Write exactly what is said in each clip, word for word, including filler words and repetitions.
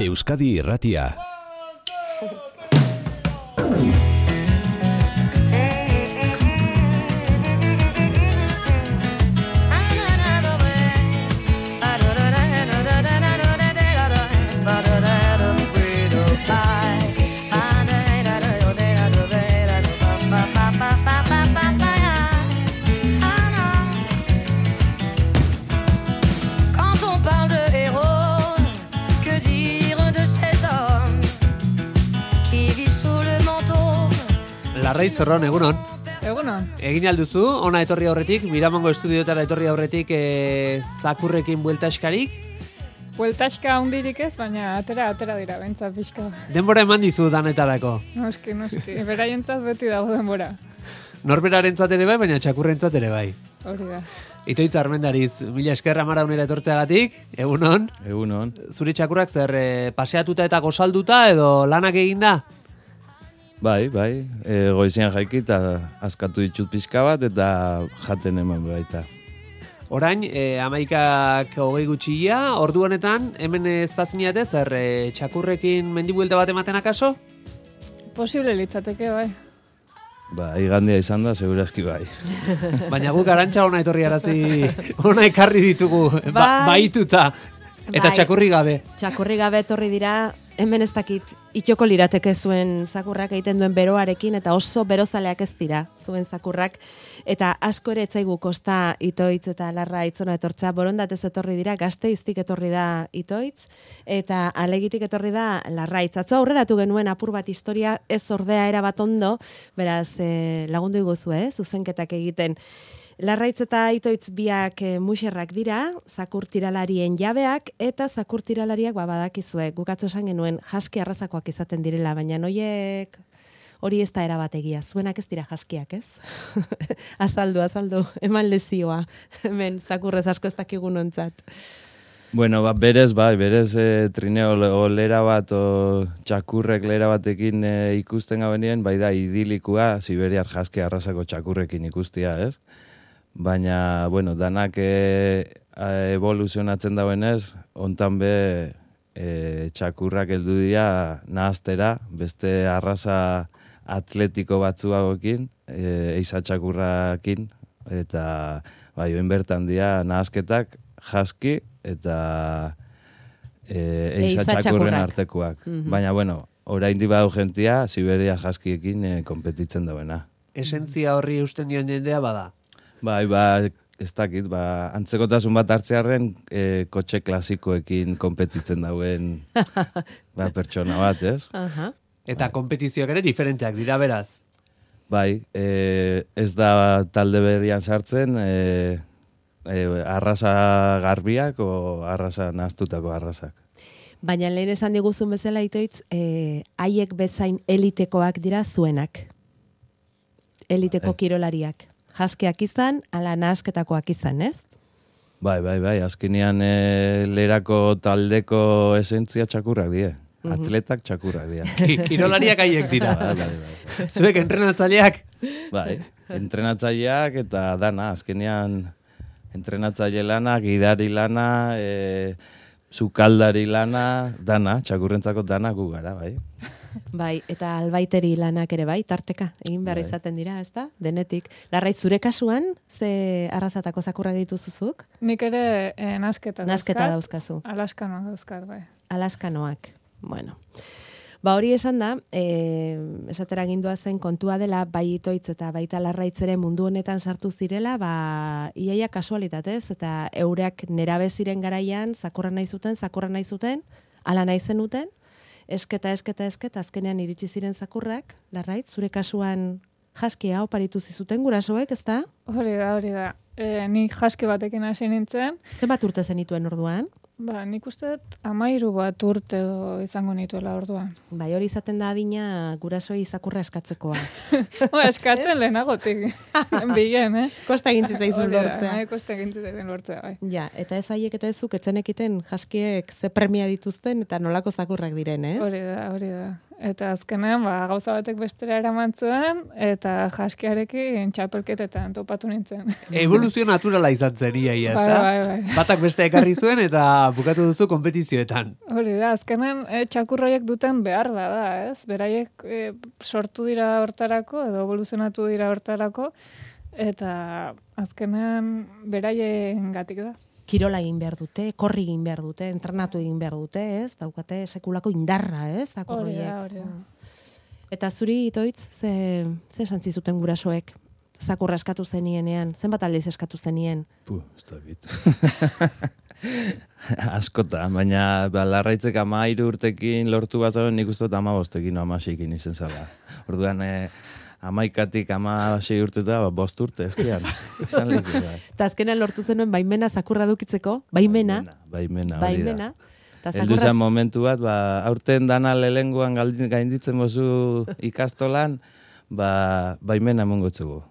Euskadi Irratia. Larrai Zorron, egunon. Egunon. Egin alduzu, ona etorri aurretik, Miramongo estudiotara etorri aurretik e, zakurrekin bueltaskarik? Bueltaska hundirik ez, baina atera, atera dira, bentsa pixka. Denbora eman dizu danetarako? Noski, noski. Beraientzat beti dago denbora. Norberarentzat ere bai, baina txakurrentzat ere bai. Hori da. Itoitz Armendariz, mila esker Amaraunera etortzeagatik, egunon. Egunon. Zure txakurrak zer e, paseatuta eta gozalduta edo lanak eginda? Bai, bai, e, goizian jaiki eta askatu ditut pixka bat eta jaten eman baita. Orain, e, amaikak hogei gutxia, ordu honetan, hemen ezpaziniate, zer e, txakurrekin mendibuelta bat ematen akaso? Posible litzateke, bai. Ba, igandia izan da, segurazki bai. Baina guk arantxa ona etorri arazi, ona ekarri ditugu, bai. ba, baituta, eta bai. Txakurri gabe. Txakurri gabe etorri dira, hemen ez dakit, itxoko lirateke zuen zakurrak egiten duen beroarekin, eta oso berozaleak ez dira zuen zakurrak, eta asko ere etzaigu kosta Itoitz eta Larra Itzona etortzea, borondatez etorri dira, Gasteiztik etorri da Itoitz, eta Alegitik etorri da Larraitz. Atzo aurreratu genuen apur bat historia, ez ordea erabat ondo, beraz e, lagundu iguzu, eh, zuzenketak egiten. Larraitz eta Itoitz biak e, muxerrak dira, zakur tiralarien jabeak, eta zakur tiralariak ba, badakizue, gukatzo esan genuen jaski arrazakoak izaten direla, baina noiek hori ez da erabat egia, zuenak ez dira jaskiak, ez? azaldu, azaldu, eman lezioa, hemen zakurrez asko ez dakigun ontzat. Bueno, ba, berez, bai, berez e, trineo o lera bat, o txakurrek lera batekin e, ikusten gabenien, bai da idilikua, Siberiar jaski arrazako txakurrekin ikustia, ez? Baina, bueno, danak e, evoluzionatzen dauenez, ontan be e, txakurrak heldu dira nahaztera, beste arraza atletiko batzuagokin, e, eiza txakurrakin, eta bai, oin bertan dira nahazketak, jaski, eta e, eiza txakurren artekoak. Mm-hmm. Baina, bueno, oraindik badu jentia, Siberia jaskiekin e, konpetitzen dauena. Esentzia horri eusten dion jendea bada? Bai, ba, ez dakit, ba, antzekotasun bat hartzearen e, kotxe klasikoekin konpetitzen dauen ba, pertsona bat, ez? Uh-huh. Eta kompetizioak ere diferenteak dira beraz? Bai, e, ez da talde berrian sartzen, e, e, arraza garbiak o arraza nahaztutako arrazak. Baina lehen esan diguzun bezala Itoitz, e, haiek bezain elitekoak dira zuenak. Eliteko bai. Kirolariak. Jaskeak izan, ala nahasketakoak izan, ez? Bai, bai, bai, azkenean e, lerako taldeko esentzia txakurrak die. Mm-hmm. Atletak txakurrak die. Kirolariak haiek dira. Bai, bai, bai. Zuek entrenatzaileak? Bai, entrenatzaileak eta dana, azkenean entrenatzaile lana, gidari lana, e, sukaldari lana, dana, txakurrentzako dana gu gara, bai. Bai, eta albaiteri lanak ere bai, tarteka, egin behar bai. Izaten dira, ez da? Denetik. Larrai, zure kasuan, ze arrazatako zakurrak dituzuzuk? Nik ere eh, nasketa, nasketa dauzkazu. Alaskanoak dauzkat, bai. Alaskanoak, bueno. Ba hori esan da, e, esatera gindua zen kontua dela, bai Itoitz eta baita Larraitz ere mundu honetan sartu zirela, ba, iaia kasualitatez, eta eureak nerabe ziren garaian, zakurra nahi zuten, zakurra nahi zuten, ala nahi zenuten, esketa, esketa, esketa, azkenean iritsi ziren zakurrak, Larraitz, zure kasuan jaskia oparitu zizuten gurasoek, ez da? Hori da, hori da. E, ni jaski batekin hasi nintzen. Zenbat urte zenituen orduan? Ba, nik uste amairu bat urte izango nituela orduan. Bai, hori izaten da adina gurasoi zakurra eskatzekoa. Ba, eskatzen lehenagotik. Bigen, eh? Kosta egintzi zaizun lortzea. Bai, kosta egintzi zaizun lortzea, bai. Ja, eta ez haiek eta ezuk etzenekiten jaskiek ze premia dituzten eta nolako zakurrak diren, eh? Hori da, hori da. Eta azkenean, ba, gauza batek bestera eraman zuen, eta jaskiarekin txapelketetan topatu nintzen. Evoluzio naturala izan zen, ia, ia, Bai, ezta? bai, bai. Batak beste ekarri zuen eta bukatu duzu kompetizioetan. Hori da, azkenean e, txakurroiek duten behar bada, ez? Beraiek e, sortu dira hortarako, edo evoluzionatu dira hortarako, eta azkenean beraien gatik da. Kirola egin behar dute, korri egin behar dute, entrenatu egin behar dute, ez? Daukate sekulako indarra, ez? Hori Zakurroiek. da, hori da. Eta zuri, Itoitz, ze, ze santzi zuten gurasoek? Zakurra eskatu zenienean, zenbat aldiz eskatu zenien? Puh, ez dakit. Askota, baina ba, larraitzek ama hiru urtekin lortu bat zaren nik uste dut ama bostekin o ama seikin izen zala. Orduan, eh, amaikatik ama sei urteta, ba, bost urte, eskian. Esan leku da. Eta azkenean lortu zenuen baimena zakurra dukitzeko, baimena, Baimena, hori da. baimena. Ta Heldu zakurra zen momentu bat, ba, aurten dana lehenguan gainditzen bozu ikastolan, ba, baimena emongotzugu.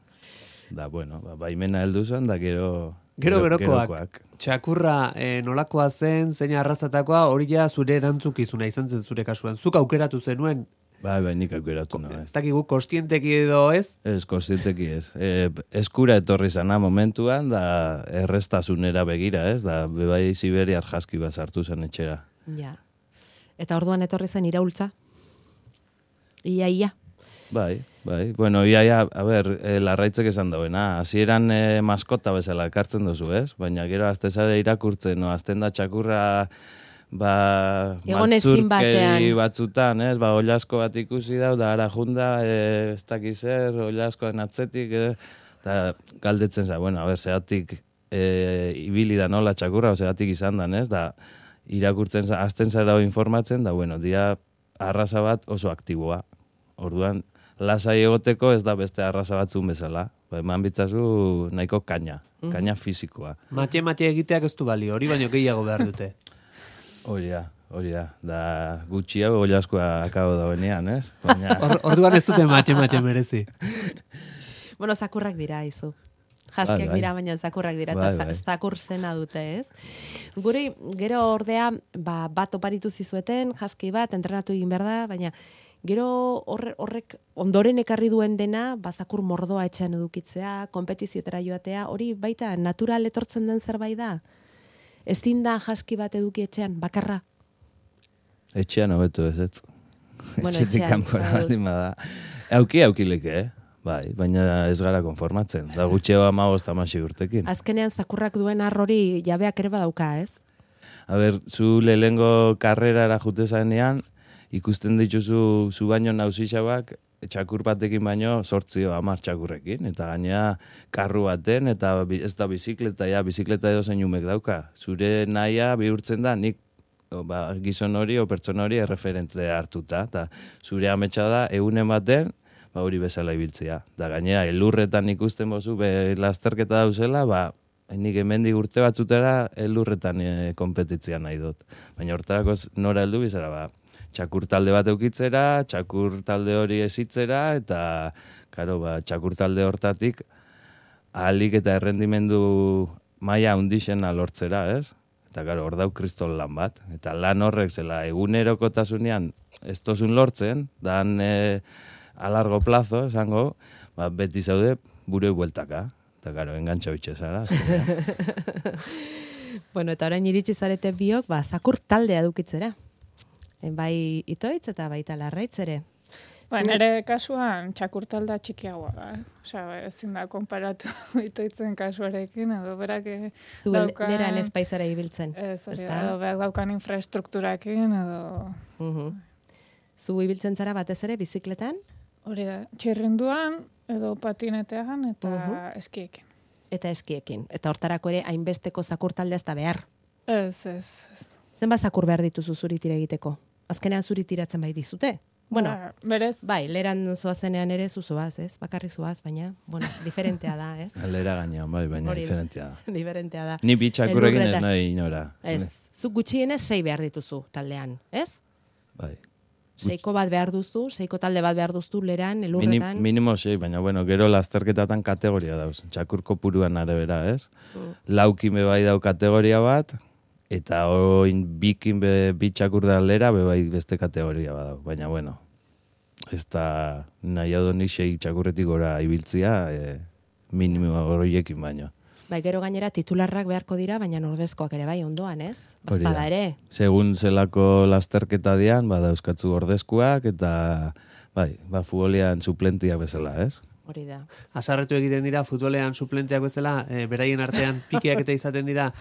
Da, bueno, ba, baimena heldu zen, da gero... Gero gerokoak. Txakurra eh, nolakoa zen, zein arrazatakoa, hori ja zure erantzukizuna izan zen zure kasuan. Zuk aukeratu zenuen, Bai, bai, nik aukeratu nahi. ez dakigu kostienteki edo ez? Ez, kostienteki ez. E, eskura etorri zana momentuan, da errestasunera begira, ez? Da, bebai Siberiar jaski bat sartu zen etxera. Ja. Eta orduan etorri zen iraultza. Ia, ia. Bai, bai. Bueno, ia, ia, a ber, e, larraitzek esan dauena. Hasieran e, maskota bezala ekartzen duzu, ez? Baina gero azte zare irakurtzen, no? Azten da txakurra... ba, Egon ezin batean. batzutan, ez, ba, olasko bat ikusi dau, da ara junda, e, ez dakiz zer, olaskoan atzetik, e, eta galdetzen za, bueno, a ber, zeatik e, ibili da nola txakurra, o zeatik izan dan, ez, da, irakurtzen za, azten zara informatzen, da, bueno, dia arraza bat oso aktiboa. Orduan, lasai egoteko ez da beste arraza batzun bezala. Ba, eman bitzazu nahiko kaina, kaina fisikoa. Mate-mate egiteak ez du balio, hori baino gehiago behar dute. Hori da, hori da. Da gutxiago olaskoa akabo dauenean, ez? Baina... Or, orduan ez dute mate-mate merezi. Bueno, zakurrak dira, izu. Jaskiak Bai, bai. dira, baina zakurrak dira, Bai, eta bai. za- zakur zena dute, ez? Guri, gero ordea, ba, bat oparitu zizueten, jaski bat, entrenatu egin behar da, baina gero horre, horrek ondoren ekarri duen dena, ba, zakur mordoa etxean edukitzea, kompetiziotera joatea, hori baita natural etortzen den zerbait da? Ezin da jaski bat eduki etxean, bakarra? Etxean hobeto ez, ez. Bueno, Etxetik etxean, kanpora esan dut. baldin bada. Auki aukileke, eh? Bai, baina ez gara konformatzen. Da gutxeo amagost amasi urtekin. Azkenean zakurrak duen arrori jabeak ere badauka, ez? A ber, zu lehengo karrerara jute zanean, ikusten dituzu zu baino nausixabak, txakur batekin baino sortzio hamar txakurrekin, eta gainea karru baten, eta bi- ez da bizikleta, ja, bizikleta edo zein umek dauka. Zure nahia bihurtzen da, nik o, ba, gizon hori o pertsona hori erreferente hartuta, eta zure ametsa da, egunen baten, ba, hori bezala ibiltzea. Da gainera, elurretan ikusten bozu, be, lasterketa dauzela, ba, nik hemendik urte batzutera elurretan e, konpetitzea nahi dut. Baina hortarako z- nora heldu bizara, ba, txakur talde bat eukitzera, txakur talde hori ezitzera, eta, karo, ba, txakur talde hortatik, ahalik eta errendimendu maila hundixena lortzera, ez? Eta, karo, hor dau kristol lan bat. Eta lan horrek zela egunerokotasunean ez tozun lortzen, dan e, a largo plazo, esango, ba, beti zaude bure bueltaka. Eta, karo, engantxa bitxe zara. azkenean. Bueno, eta orain iritsi zarete biok, ba, zakur taldea edukitzera. E, bai Itoitz eta baita Larraitz ere. Ba, Zu- nire kasuan txakurtalda txikiagoa da. Eh? Osea, ezin da konparatu Itoitzen kasuarekin, edo berak eh, Zu daukan... leran espaizara ibiltzen. Ez, hori ezta? da, edo berak daukan infraestrukturakin, edo... Mhm. Zu ibiltzen zara batez ere bizikletan, Hori da, txirrinduan, edo patinetean, eta Mhm. eskiekin. eta eskiekin. Eta hortarako ere hainbesteko zakur taldea ez da behar. Ez, ez, ez. Zenbat zakur behar dituzu zuri tira egiteko? Azkenean zuri tiratzen bai dizute. Bueno, Ba, berez, bai, leran zoazenean ere zuzoaz, ez? Bakarrik zoaz, baina, bueno, diferentea da, ez? Lera gainean, bai, baina Hori da. diferentia da. Diferentea da. Ni bitxakurrekin ez Elurretan- nahi inora. Ez, zuk gutxienez sei behar dituzu taldean, ez? Bai. Seiko bat behar duzu, seiko talde bat behar duzu leran, Minim, elurretan. minimo sei, baina bueno, gero lasterketatan kategoria dauz. Txakur kopuruan arabera, ez? Mm. Laukin be bai dau kategoria bat, eta oin bikin be bi txakur da lera be bai beste kategoria badau. Baina bueno, ez da nahi adoni sei txakurretik gora ibiltzia, e, minimo horiekin baino. Bai, gero gainera titularrak beharko dira, baina ordezkoak ere bai ondoan, ez? Hori Bazpada da. ere. Segun zelako lasterketa dian, bada euskatzu ordezkoak, eta bai, ba, futbolean suplentiak bezala, ez? Hori da. Azarretu egiten dira futbolean suplenteak bezala, e, beraien artean pikiak eta izaten dira.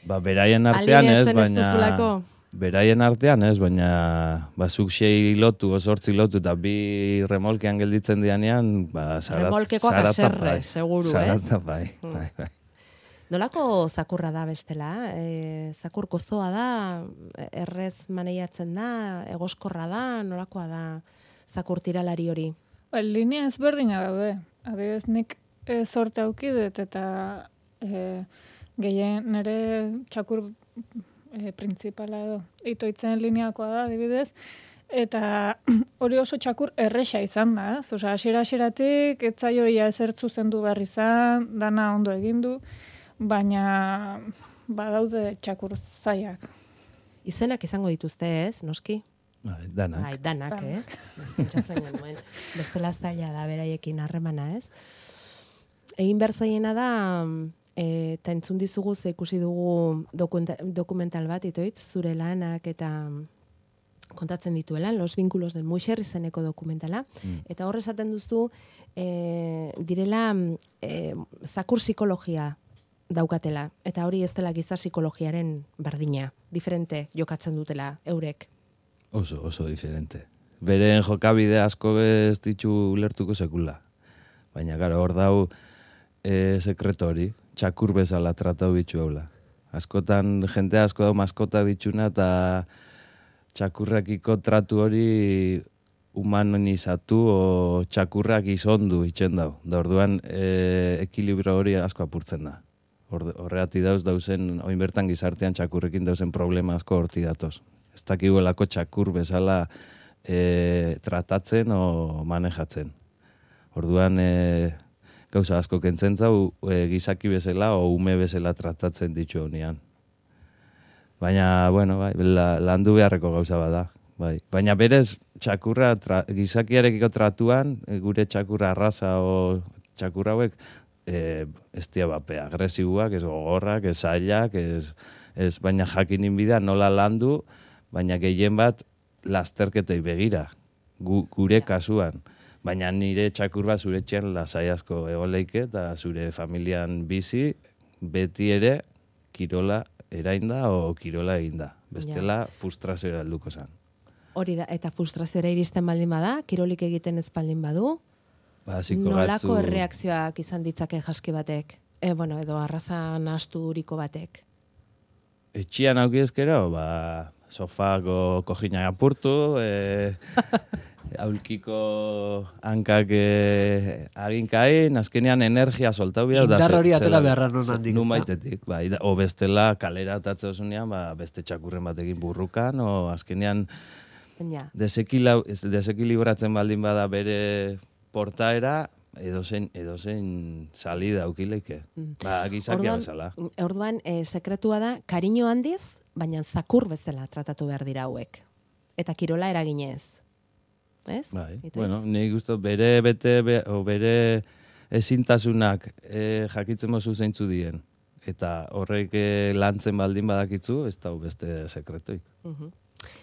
Ba, beraien artean ez, Alineatzen ez baina... duzulako? Beraien artean ez, baina ba, zuk sei lotu, osortzi lotu, eta bi remolkean gelditzen dianean, ba, zarat, Remolkekoak zarata haserre, bai. seguru, eh? Zarata bai, Mm. bai, bai. Nolako zakurra da bestela? E, zakur gozoa da, errez maneiatzen da, egoskorra da, nolakoa da zakur tiralari hori? Ba, linea ezberdina daude. Adibidez, nik e, sorte auki dut eta e, gehien nire txakur e, printzipala edo itoitzen lineakoa da, adibidez, eta hori oso txakur erresa izan da, ez? Osea, hasiera-hasieratik ez zaio ia ezer zuzendu behar izan, dana ondo egin du, baina badaude txakur zaiak. Izenak izango dituzte, ez, noski? Bai, danak. Bai, danak, Danak. ez? Pentsatzen genuen. Bestela zaila da beraiekin harremana, ez? Egin behar zaiena da, e, eta entzun dizugu ze ikusi dugu dokumenta, dokumental bat, itoitz, zure lanak eta kontatzen dituela, Los Vínculos del Muixer izeneko dokumentala, Mm. eta hor esaten duzu, e, direla e, zakur psikologia daukatela, eta hori ez dela giza psikologiaren berdina, diferente jokatzen dutela eurek. Oso, oso diferente. Beren jokabide asko ez ditu ulertuko sekula. Baina, gara, hor dau e, sekreto hori, txakur bezala tratau bitxu haula. Askotan, jente asko dau maskota ditxuna eta txakurrakiko tratu hori humanizatu o txakurrak izondu itxen dau. Da orduan, e, ekilibro hori asko apurtzen da. Horreati dauz dauzen, oin bertan gizartean txakurrekin dauzen problema asko horti datoz. Ez dakiguelako txakur bezala e, tratatzen o manejatzen. Orduan, e, gauza asko kentzen zau, e, gizaki bezala o ume bezala tratatzen ditu honean. Baina, bueno, bai, la, landu beharreko gauza bada. Bai. Baina berez, txakurra, tra, gizakiarekiko tratuan, e, gure txakurra arraza o txakurra hauek, e, ez dia bape, agresiboak, ez gogorrak, ez zailak, ez, ez baina jakinin bida nola landu, baina gehien bat lasterketei begira, gu, gure kasuan. Baina nire txakur bat zure txean lasai asko egon leike, eta zure familian bizi, beti ere kirola erainda o kirola eginda. Bestela frustrazioa helduko zen. Hori da, eta frustrazioa iristen baldin bada, kirolik egiten ez baldin badu, Ba, ziko nolako gatzu- erreakzioak izan ditzake jaski batek? E, bueno, edo arraza nahasturiko batek. Etxian auki ezkero, ba, sofako kojina apurtu, e, aulkiko hankak e, aginkain, azkenean energia soltau bida. Indar hori atera beharra non handik, Nun ezta? baitetik, bai, da- o bestela kalera atatze osunean, ba, beste txakurren batekin burrukan, o azkenean Ja. desekila- ez- desekilibratzen baldin bada bere portaera, edozein, edozein salida aukileike. Mm. Ba, gizakia Orduan- bezala. Orduan, e, sekretua da, kariño handiz, baina zakur bezala tratatu behar dira hauek. Eta kirola eraginez. Ez? Bai, Itoitz? bueno, nik uste bere bete, be, o bere ezintasunak e, jakitzen mozu zeintzu dien. Eta horrek e, lantzen baldin badakitzu, ez da beste sekretoi. Mhm.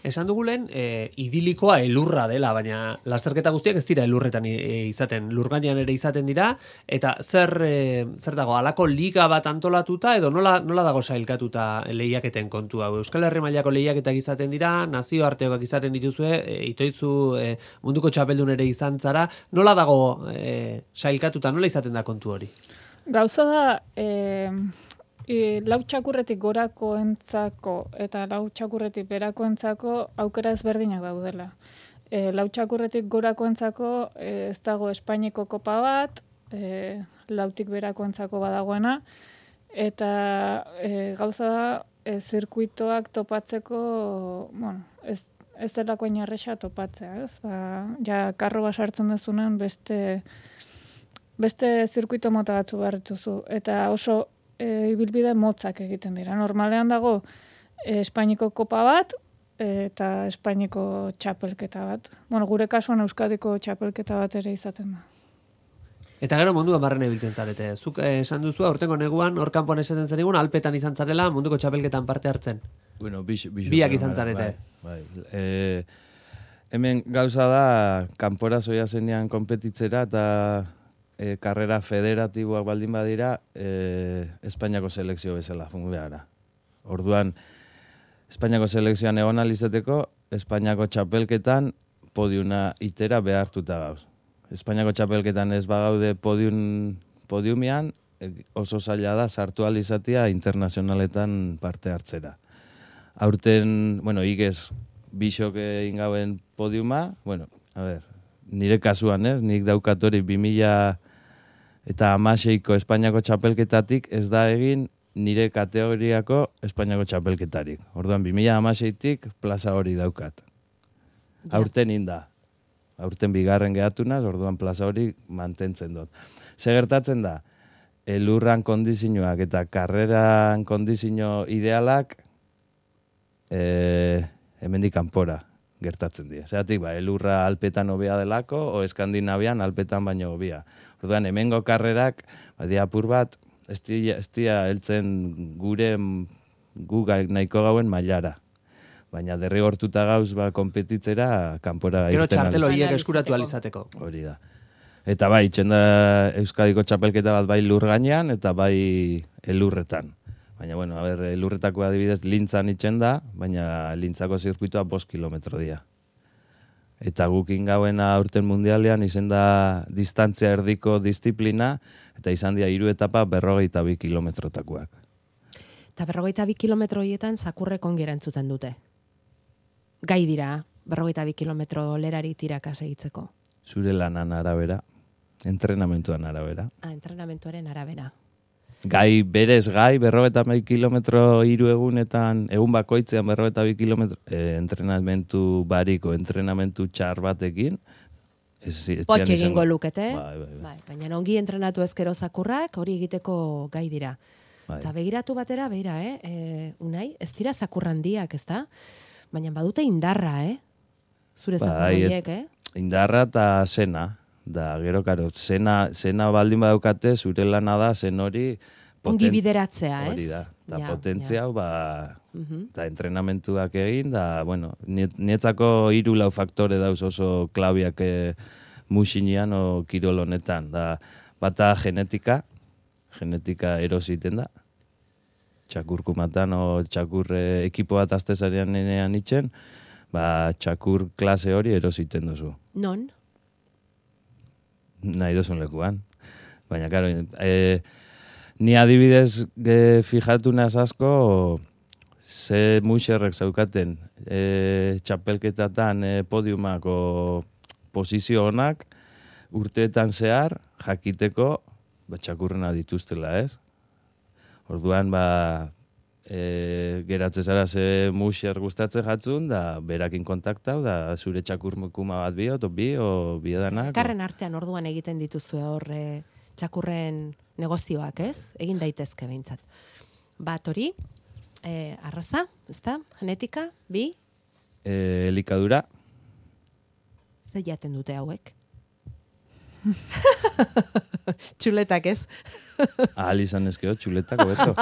Esan dugulen, e, idilikoa elurra dela, baina lasterketa guztiak ez dira elurretan e, izaten, lurgainean ere izaten dira, eta zer, e, zer dago, halako liga bat antolatuta, edo nola, nola dago sailkatuta lehiaketen kontu hau? Euskal Herri mailako lehiaketak izaten dira, nazioartekoak izaten dituzue, e, itoitzu e, munduko txapeldun ere izan zara, nola dago e, sailkatuta, nola izaten da kontu hori? Gauza da, e, e, lau txakurretik gorakoentzako eta lau txakurretik berakoentzako aukera ezberdinak daudela. E, lau txakurretik gorakoentzako e, ez dago Espainiako kopa bat, e, lautik berakoentzako badagoena, eta e, gauza da, e, zirkuitoak topatzeko, bueno, ez, ez delako inarresa topatzea, ez? Ba, ja, karro basartzen dezunen beste beste zirkuito mota batzu behar dituzu. Eta oso e, ibilbide motzak egiten dira. Normalean dago e, Espainiko kopa bat, eta Espainiko txapelketa bat. Bueno, gure kasuan Euskadiko txapelketa bat ere izaten da. Eta gero munduan barren ibiltzen zarete. Zuk eh, esan duzu, aurtengo neguan, hor kanpoan esaten zenigun, alpetan izan zarela, munduko txapelketan parte hartzen. Bueno, bix, bix, Biak izan zarete. Bai, bai. E, hemen gauza da, kanpora zoia zenean konpetitzera, eta e, karrera federatiboak baldin badira, e, Espainiako selekzio bezala fungu behara. Orduan, Espainiako selekzioan egon alizeteko, Espainiako txapelketan podiuna itera behartuta gauz. Espainiako txapelketan ez bagaude podium, podiumian, oso zaila da sartu alizatia internazionaletan parte hartzera. Aurten, bueno, igez, bisok egin gauen podiuma, bueno, a ver, nire kasuan, ez, nik daukatori bi mila eta hamaseiko Espainiako txapelketatik ez da egin nire kategoriako Espainiako txapelketarik. Orduan, bi mila hamaseitik plaza hori daukat. Aurten inda. Aurten bigarren gehatunaz, orduan plaza hori mantentzen dut. Ze gertatzen da, elurran kondizioak eta karreran kondizio idealak e, hemendik kanpora gertatzen dira. Zeratik, ba, elurra alpetan hobea delako, o Eskandinavian alpetan baino hobea. Orduan, hemengo karrerak, ba, diapur bat, ez dira heltzen gure gu nahiko gauen mailara. Baina derrigortuta gauz ba, konpetitzera kanpora Gero irten txartel aliz- horiek eskuratu alizateko. Hori da. Eta bai, itxen da Euskadiko txapelketa bat bai lur gainean eta bai elurretan. Baina, bueno, a ber, elurretako adibidez lintzan itxen da, baina lintzako zirkuitoa bost kilometro dira. Eta guk ingauena aurten mundialean izen da distantzia erdiko disiplina, eta izan dira hiru etapa berrogeita bi kilometrotakoak. Eta berrogeita bi kilometro horietan zakurrek ongi erantzuten dute. Gai dira, berrogeita bi kilometro lerari tiraka segitzeko. Zure lanan arabera, entrenamentuan arabera. Ah, entrenamentuaren arabera. Gai, berez gai, berrogeita bi kilometro hiru egunetan, egun bakoitzean berrogeita bi kilometro, eh, entrenamentu bariko, entrenamentu txar batekin, ez etxean Potxe izango. egingo lukete, Bai, bai, bai. bai, baina ongi entrenatu ezkero zakurrak hori egiteko gai dira. Bai. Eta begiratu batera, beira, eh? E, unai, ez dira zakurrandiak, ez da? Baina badute indarra, eh? Zure zakur Bai, horiek, eh? Indarra eta zena, da, gero, karo, zena, zena baldin badaukate, zure lana da, zen hori... Ongi bideratzea, ez? Hori da, eta Ja, potentzia, ja. hau, ba, Mhm. eta entrenamentuak egin, da, bueno, niet- nietzako hiru lau faktore dauz oso klabiak e, musinean o kirol honetan. Da, bata genetika, genetika erositen da, txakurkumatan o txakur e, ekipo bat aztezarean nenean itxen, ba, txakur klase hori erositen duzu. Non? Nahi dozun lekuan. Baina, karo, e, ni adibidez e, fijatu naz asko, ze muxerrek zaukaten e, txapelketatan e, podiumako posizio honak, urteetan zehar, jakiteko, ba, txakurrena dituztela, ez? Orduan, ba, e, geratze zara ze muxer gustatzen jatzun, da berakin kontaktau, da zure txakurmukuma bat bi, o bi, o biedanak. Karren artean orduan egiten dituzue hor e, txakurren negozioak, ez? Egin daitezke behintzat. Bat hori, e, arraza, ezta? Genetika, bi, E, elikadura, ze jaten dute hauek? Txuletak, ez? ahal izan ezkeo, txuletako beto.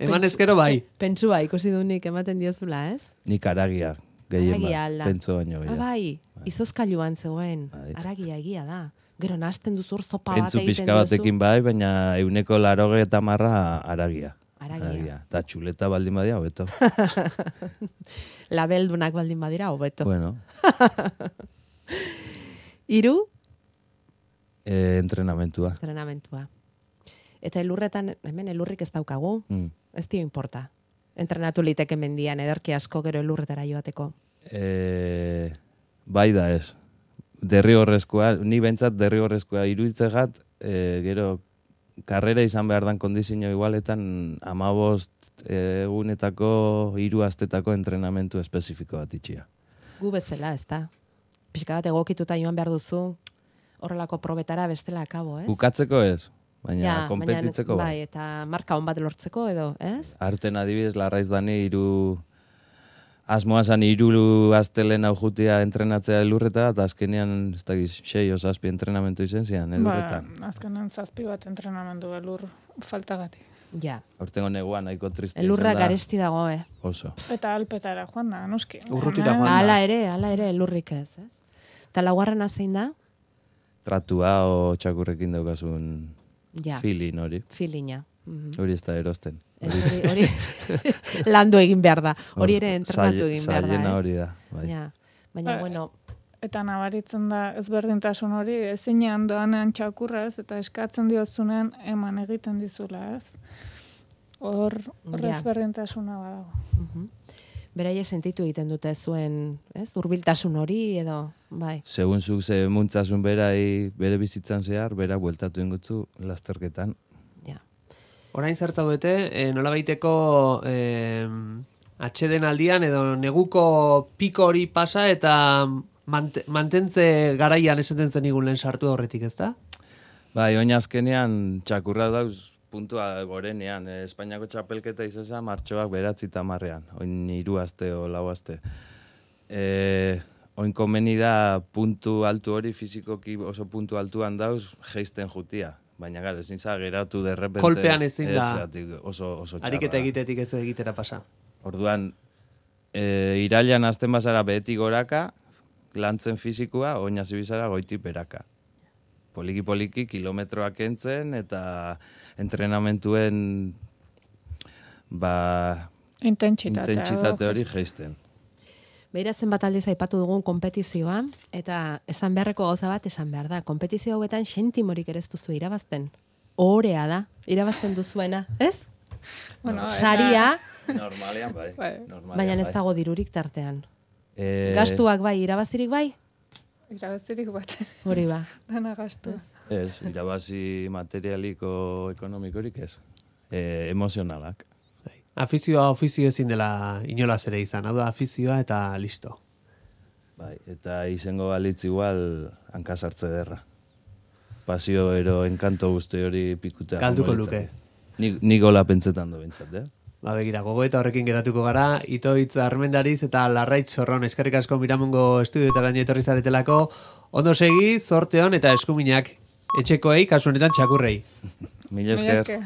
Eman ezkero bai. Pentsua ikusi dunik ematen diozula, ez? Nik aragia, gehien Aragia bat, alda. pentso baino Ah, gehiago. bai, izozkailuan zegoen. Bai. Aragia egia da. Gero nazten duzu hor zopa bat Pentsu egiten pixka duzu. batekin bai, baina euneko laroge eta marra aragia. Aragia. Eta txuleta baldin badia, hobeto. Labeldunak baldin badira, hobeto. Bueno, Hiru, e, entrenamentua. entrenamentua. Eta elurretan, hemen elurrik ez daukagu, Mm. ez dio importa. Entrenatu liteke mendian, ederki asko gero elurretara joateko. E, bai da ez. Derrigorrezkoa, ni bentsat derrigorrezkoa iruditzegat, e, gero karrera izan behar dan kondizio igualetan amabost egunetako hiru astetako entrenamentu espezifiko bat itxia. Gu bezala, ez da? Pixka bat egokituta joan behar duzu, horrelako probetara bestela akabo, ez? Bukatzeko ez, baina Ja, konpetitzeko baina, bai. bai. Eta marka on bat lortzeko edo, ez? Arten adibidez, larraiz dani hiru asmoa zan hiru astelen hau jutia entrenatzea elurretara, eta azkenean, ez dakiz, sei o zazpi entrenamentu izen zian elurretan. Ba, azkenean zazpi bat entrenamendu elur faltagatik. Ja. Hortengo neguan nahiko triste Elurra izan da. garesti dago, eh? Oso. Eta alpetara joan da, noski. Urrutira Hemen- joan da. Hala ere, hala ere, elurrik ez, ez? Eta laugarrena zein da? Tratua o txakurrekin daukasun Ja, feeling hori. filina. Mhm. Hori ez da erosten. Hori, hori landu egin behar da. Hori ere entrenatu Zaile- egin behar da, zailena ez? hori da. Bai. Ja. Baina, Ba, bueno, Eta nabaritzen da ezberdintasun hori ezinean doanean txakurra ez, eta eskatzen diozunean eman egiten dizula ez. Hor, hor Ja. ezberdintasuna badago. mhm. Beraie sentitu egiten dute zuen, ez? Hurbiltasun hori edo, bai. Segun zuk ze muntzasun berai bere bizitzan zehar, bera bueltatu ingutzu lasterketan. Ja. Orain zertzaudete, e, nola baiteko e, atxeden aldian edo neguko piko hori pasa eta mant mantentze garaian esaten zen igun lehen sartu horretik, ez da? Bai, oin azkenean txakurra dauz puntua gorenean. E, Espainiako txapelketa izesa martxoak beratzi tamarrean. Oin hiru aste o lau aste. E, oin komeni da puntu altu hori fizikoki oso puntu altuan dauz geisten jutia. Baina gara, ezin za geratu derrepente. Kolpean ezin da. Esatik, oso, oso txarra. Ariketa egitetik ez egitera pasa. Orduan, e, irailan azten bazara behetik goraka, lantzen fizikoa, oina zibizara goiti beraka. Poliki-poliki kilometroak entzen eta entrenamentuen ba, Intentsitatea. intentsitate edo hori gest- geisten. Beira zenbat aldiz aipatu dugun konpetizioa, eta esan beharreko gauza bat esan behar da. Konpetizio hauetan sentimorik ere ez duzu irabazten. Ohorea da, irabazten duzuena, ez? Bueno, eta- Saria, Normalean, bai. Bai. Normalean, baina ez bai. dago dirurik tartean. E, Gastuak bai, irabazirik bai? Irabazirik bat, Hori ba. dana gastu. Ez, irabazi materialiko ekonomikorik ez. E, emozionalak. Afizioa ofizio ezin dela inolaz ere izan, hau da afizioa eta listo. Bai, eta izango balitz igual hankasartze derra. Pasio ero enkanto guzti hori pikutea. Galduko joango litzake. luke. Ni, ni gola pentsetan do bintzat, eh? Ba, begira, gogoeta horrekin geratuko gara, Itoitz Armendariz eta Larraitz Zorron eskerrik asko Miramongo estudioetaraino etorri zaretelako, ondo segi, zorte hon eta eskuminak etxekoei, kasu honetan txakurrei. Mila esker. esker.